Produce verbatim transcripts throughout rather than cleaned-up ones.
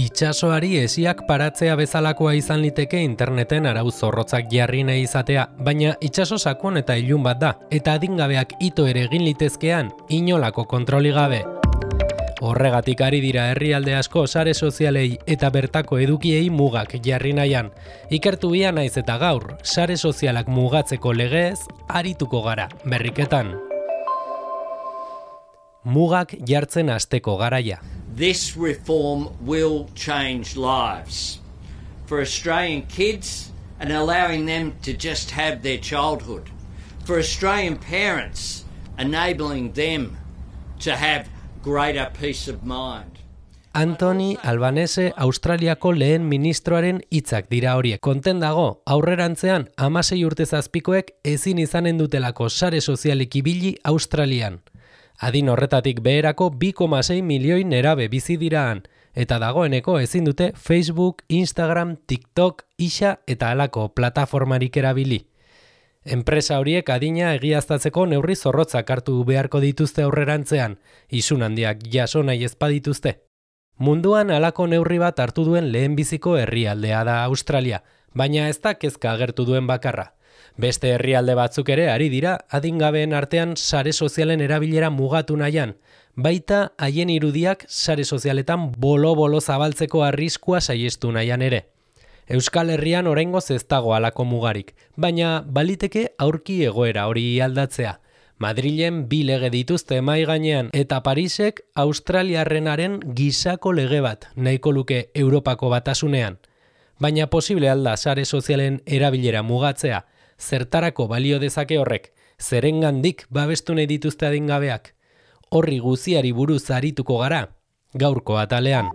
Itsasoari esiak paratzea bezalakoa izan liteke interneten arau zorrotzak jarri nahi izatea, baina itsaso sakon eta ilun bat da, eta adingabeak ito ere egin litezkean, inolako kontroli gabe. Horregatik ari dira herrialde asko sare sozialei eta bertako edukiei mugak jarri nahian. Ikertu bia naiz eta gaur, sare sozialak mugatzeko legeez arituko gara, berriketan. Mugak jartzen hasteko garaia. This reform will change lives for Australian kids and allowing them to just have their childhood. For Australian parents, enabling them to have greater peace of mind. Anthony Albanese Australiako lehen ministroaren hitzak dira horiek. Konten dago, aurrerantzean hamasei urte zazpikoek ezin izanen dutelako sare sozialik ibili Australian. Adin horretatik beherako bi koma sei milioi nerabe bizi diraan, eta dagoeneko ezin dute Facebook, Instagram, TikTok, Ixa eta halako plataformarik erabili. Enpresa horiek adina egiaztatzeko neurri zorrotzak hartu beharko dituzte aurrerantzean, isun handiak jaso nahi ez badituzte. Munduan halako neurri bat hartu duen lehenbiziko herrialdea da Australia, baina ez da kezka agertu duen bakarra. Beste herrialde batzuk ere ari dira adingabeen artean sare sozialen erabilera mugatu nahian, baita haien irudiak sare sozialetan bolo-bolo zabaltzeko arriskua saiestu nahian ere. Euskal Herrian oraingoz ez dago halako mugarik, baina baliteke aurki egoera hori aldatzea. Madrilen bi lege dituzte mahai gainean eta Parisek Australiarrenaren gisako lege bat nahiko luke Europako batasunean. Baina posible alda sare sozialen erabilera mugatzea, zertarako balio dezake horrek, zerengandik babestu nahi dituzte adingabeak. Horri guziari buruz arituko gara, gaurko atalean.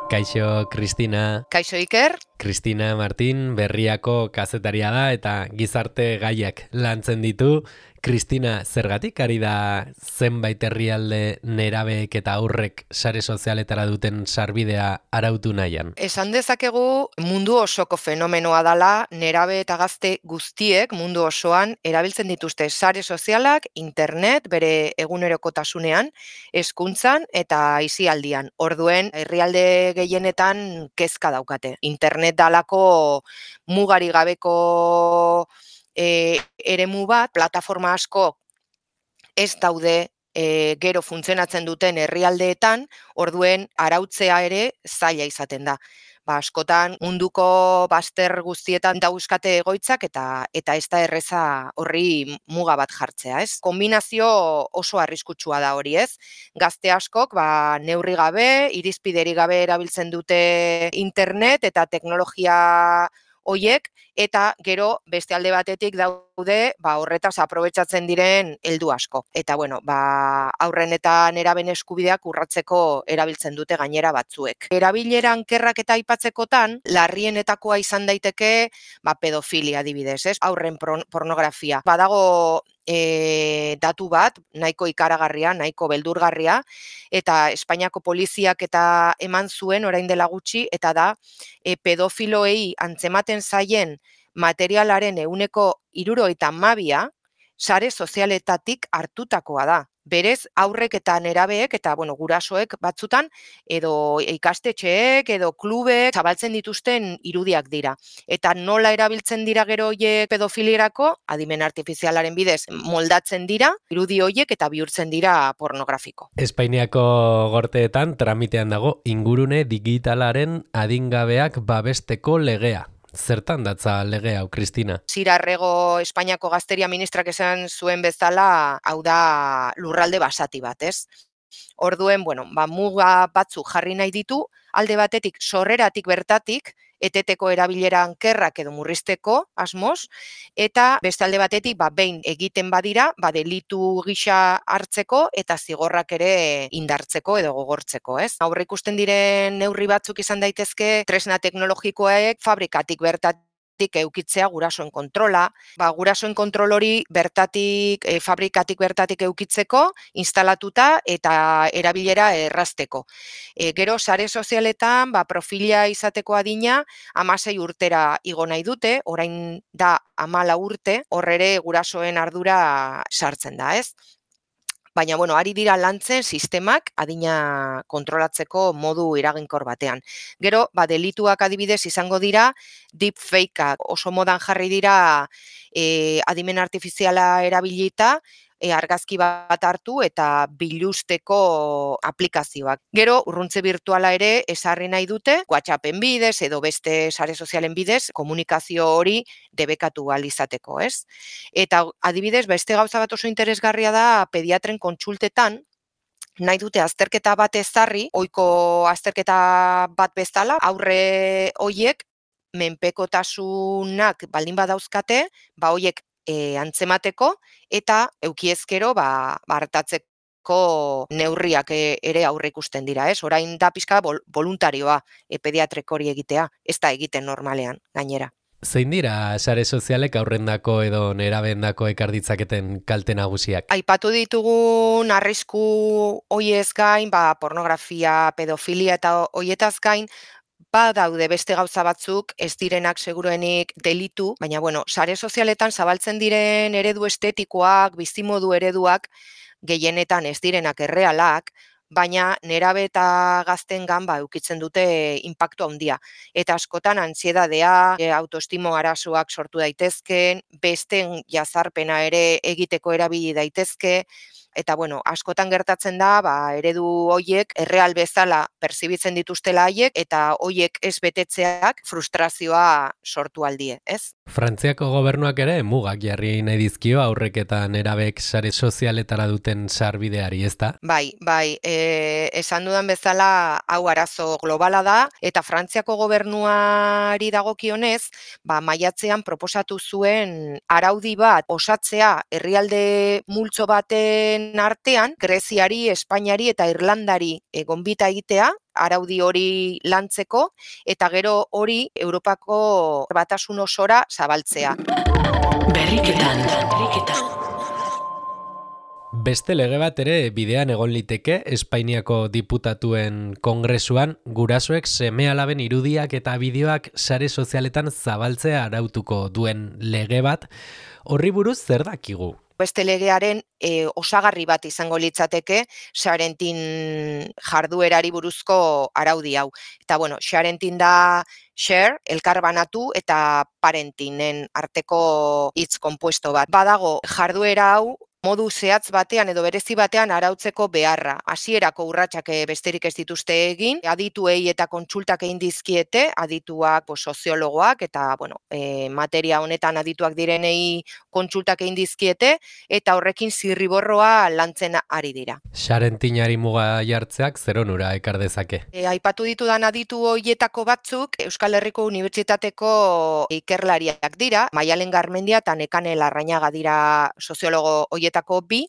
Kaixo, Kristina. Kaixo, Iker. Kristina Martin, Berriako kazetaria da eta gizarte gaiak lantzen ditu. Kristina, zergatik ari da zenbait herrialde nerabeek eta aurrek sare sozialetara duten sarbidea arautu nahian? Esan dezakegu mundu osoko fenomenoa dala, nerabe eta gazte guztiek mundu osoan erabiltzen dituzte sare sozialak, internet, bere egunerokotasunean, hezkuntzan eta aisialdian. Orduen, herrialde gehienetan kezka daukate. Internet dalako mugari gabeko E, eremu bat, plataforma asko ez daude e, gero funtzionatzen duten herrialdeetan, orduen arautzea ere zaila izaten da. Ba, askotan munduko bazter guztietan dauzkate egoitzak eta eta ez da erreza horri muga bat jartzea, ez? Kombinazio oso arriskutsua da hori, ez? Gazte askok ba, neurri gabe, irizpideri gabe erabiltzen dute internet eta teknologia hoiek, eta gero beste alde batetik daude ba, horretaz aprobetxatzen diren heldu asko. Eta bueno, ba, aurren eta neraben eskubideak urratzeko erabiltzen dute gainera batzuek. Erabileran kerrak eta aipatzekotan, larrienetakoa izan daiteke ba, pedofilia adibidez, ez? Aurren pornografia. Badago E, datu bat, nahiko ikaragarria, nahiko beldurgarria, eta Espainiako poliziak eta eman zuen orain dela gutxi, eta da e, pedofiloei antzematen zaien materialaren ehuneko hirurogeita hamabia sare sozialetatik hartutakoa da. Berez, aurrek eta nerabeek eta bueno, gurasoek batzutan edo ikastetxeek edo klubek zabaltzen dituzten irudiak dira. Eta nola erabiltzen dira gero hoiek pedofilierako, adimen artifizialaren bidez moldatzen dira, irudi hoiek eta bihurtzen dira pornografiko. Espainiako gorteetan tramitean dago ingurune digitalaren adingabeak babesteko legea. Zertan datza lege hau, Kristina? Zirarrego Espainiako gazteria ministrak esan zuen bezala, hau da lurralde basati bat, ez? Orduen, bueno, ba, muga batzuk jarri nahi ditu, alde batetik sorreratik bertatik, eteteko erabileran kerrak edo murrizteko asmoz, eta beste alde batetik ba, behin egiten badira, ba, delitu gisa hartzeko eta zigorrak ere indartzeko edo gogortzeko, ez? Aurre ikusten diren neurri batzuk izan daitezke tresna teknologikoek fabrikatik bertatik eukitzea gurasoen kontrola, ba, gurasoen kontrol hori bertatik, e, fabrikatik bertatik eukitzeko, instalatuta eta erabilera errazteko. E, gero, sare sozialetan, ba, profila izateko adina, hamasei urtera igo nahi dute, orain da hamalau urte, hor ere gurasoen ardura sartzen da, ez? Baina, bueno, ari dira lantzen sistemak adina kontrolatzeko modu eraginkor batean. Gero, ba, delituak adibidez izango dira, deepfakeak oso modan jarri dira e, adimen artifiziala erabilita, e, argazki bat hartu eta bilusteko aplikazioak. Gero, urruntze virtuala ere esarri nahi dute, WhatsAppen bidez edo beste sare sozialen bidez, komunikazio hori debekatu ahal izateko, ez? Eta adibidez, beste gauza bat oso interesgarria da pediatren kontsultetan, nahi dute azterketa bat ezarri, ohiko azterketa bat bezala, aurre hoiek menpekotasunak baldin badauzkate, ba hoiek e, antzemateko eta eukiezkero ba, hartatzeko neurriak ere aurre ikusten dira, ez? Orain da pixka voluntarioa e, pediatrek hori egitea, ez da egiten normalean, gainera. Zein dira sare sozialek aurrendako edo nerabendako ekar ditzaketen kalte nagusiak? Aipatu ditugun arrisku hoiez gain, ba, pornografia, pedofilia eta hoietaz gain, ba daude beste gauza batzuk, ez direnak seguruenik delitu, baina bueno, sare sozialetan zabaltzen diren eredu estetikoak, bizimodu ereduak, gehienetan ez direnak errealak, baina nerabe eta gaztengan ba eukitzen dute inpaktu handia. Eta askotan antsiedadea, autoestimo arazoak sortu daitezken, besteen jazarpena ere egiteko erabili daitezke, eta bueno, askotan gertatzen da, ba, eredu hoiek erreal bezala perzibitzen dituztela haiek eta hoiek ez betetzeak frustrazioa sortu aldie, ez? Frantziako gobernuak ere mugak jarri nahi dizkio aurrek eta nerabek sare sozialetara duten sarbideari, ezta? Bai, bai, e, esan dudan bezala hau arazo globala da eta Frantziako gobernuari dagokionez, ba maiatzean proposatu zuen araudi bat osatzea herrialde multzo baten artean, Greziari, Espainiari eta Irlandari e, gonbita egitea, araudi hori lantzeko eta gero hori Europako batasun osora zabaltzea. Berriketan, berriketan. Beste lege bat ere bidean egon liteke Espainiako diputatuen kongresuan gurasoek seme-alaben irudiak eta bideoak sare sozialetan zabaltzea arautuko duen lege bat. Horri buruz zer dakigu? Beste legearen e, osagarri bat izango litzateke Sharentin jarduerari buruzko araudi hau. Eta bueno, Sharentin da share, elkarbanatu eta parentinen arteko hitz konpuesto bat. Badago jarduera hau modu zehatz batean edo berezi batean arautzeko beharra. Hasierako urratsak besterik ez dituzte egin, adituei eta kontsultak egin dizkiete, adituak, pues, soziologoak eta bueno, e, materia honetan adituak direnei kontsultak egin dizkiete eta horrekin zirriborroa lantzen ari dira. Sharentinari muga jartzeak zer onura ekar dezake? E, aipatu ditudan aditu hoietako batzuk Euskal Herriko Unibertsitateko ikerlariak dira, Maialen Garmendia eta Nekane Larrañaga dira soziologo hoietako bi,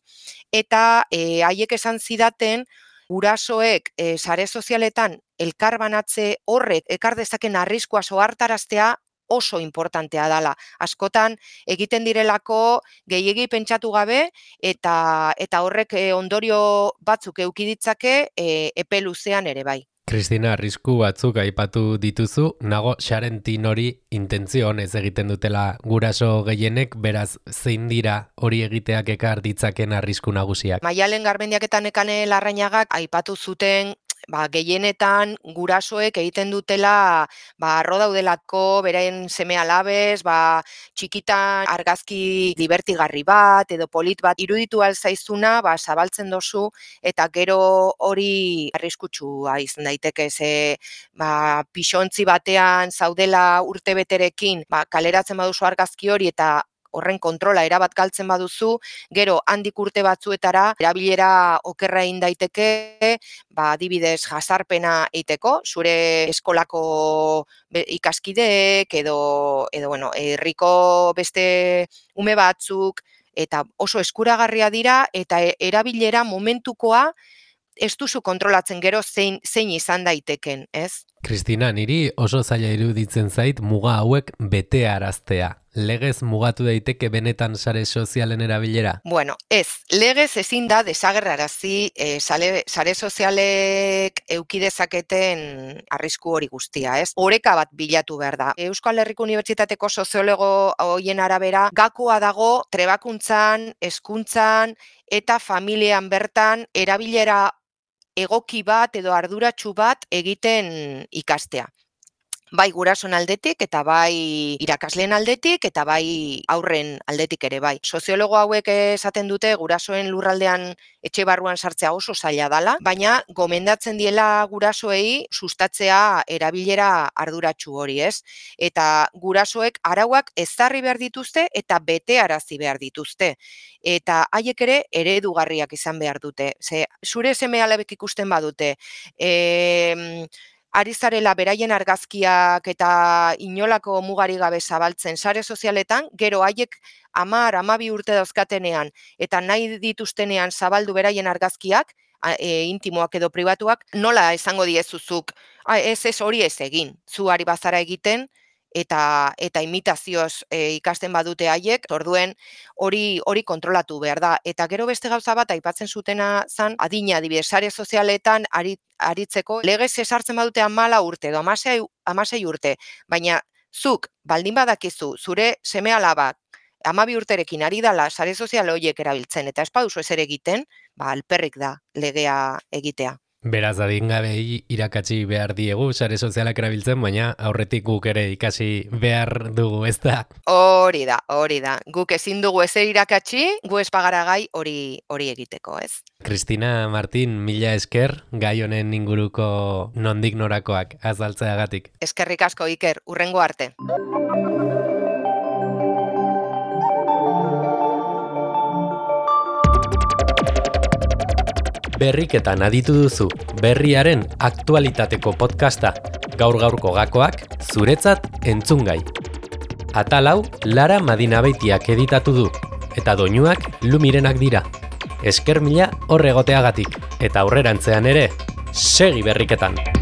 eta e, haiek esan zidaten gurasoek e, sare sozialetan elkarbanatze horrek ekar dezaken arriskua sohartaraztea oso importantea dela. Askotan egiten direlako gehiegi pentsatu gabe eta eta horrek e, ondorio batzuk eduki ditzake e, epe luzean ere bai. Kristina, arrisku batzuk aipatu dituzu, nago Sharentin hori intentzio honez egiten dutela guraso gehienek, beraz zein dira hori egiteak ekar ditzaken arrisku nagusiak? Maialen Garmendiak eta Nekane Larrañagak aipatu zuten ba, gehienetan gurasoek egiten dutela ba, arro daudelako beren seme-alabez, ba, txikitan argazki divertigarri bat edo polit bat iruditu alzaizuna ba, zabaltzen dozu eta gero hori arriskutsua izan daiteke ze ba, pixontzi batean zaudela urtebeterekin ba, kaleratzen baduzu argazki hori eta horren kontrola erabat galtzen baduzu, gero handik urte batzuetara erabilera okerra egin daiteke, ba adibidez jazarpena egiteko, zure eskolako ikaskideek edo edo bueno, herriko beste ume batzuk eta oso eskuragarria dira eta erabilera momentukoa ez duzu kontrolatzen gero zein zein izan daiteken, ez? Kristina, niri oso zaila iruditzen zait muga hauek betearaztea. Legez mugatu daiteke benetan sare sozialen erabilera? Bueno, ez, legez ezin da desagerrarazi e, sare, sare sozialek eduki dezaketen arrisku hori guztia, ez? Oreka bat bilatu behar da. Euskal Herriko Unibertsitateko soziologo hoien arabera, gakoa dago trebakuntzan, hezkuntzan eta familian bertan erabilera egoki bat edo arduratsu bat egiten ikastea. Bai gurasoen aldetik eta bai irakasleen aldetik eta bai aurren aldetik ere bai. Soziologo hauek esaten dute gurasoen lurraldean etxe barruan sartzea oso zaila dala, baina gomendatzen diela gurasoei sustatzea erabilera arduratsu hori, ez? Eta gurasoek arauak ezarri behar dituzte eta betearazi behar dituzte. Eta haiek ere eredugarriak izan behar dute. Ze, zure seme-alabek ikusten badute, e, ari zarela beraien argazkiak eta inolako mugari gabe zabaltzen sare sozialetan, gero haiek hamar, hamabi urte dauzkatenean eta nahi dituztenean zabaldu beraien argazkiak, e, intimoak edo pribatuak, nola esango diezuzuk, ez ez hori ez egin, zu ari bazara egiten, eta eta imitazioz e, ikasten badute haiek, orduen hori hori kontrolatu behar da. Eta gero beste gauza bat aipatzen zutena zan, adina adibidez sare sozialetan ari, aritzeko legez esartzen badute hamala urte edo hamasei urte, baina zuk baldin badakizu zure seme-alabak hamabi urterekin ari dala sare sozial horiek erabiltzen eta ez baduzu ezer egiten, ba alperrik da legea egitea. Beraz, adingabei irakatsi behar diegu sare sozialak erabiltzen, baina aurretik guk ere ikasi behar dugu, ez da? Hori da, hori da. Guk ezin dugu ezer irakatsi, gu ez bagara gai hori hori egiteko, ez? Kristina Martin, mila esker, gai honen inguruko nondik norakoak azaltzeagatik. Eskerrik asko, Iker, hurrengo arte. Berriketan aditu duzu, berriaren aktualitateko podcasta, gaur-gaurko gakoak, zuretzat entzungai. Atal hau, Lara Madinabeitiak editatu du, eta doinuak Lumirenak dira. Esker mila horregoteagatik, eta aurrerantzean ere, segi berriketan!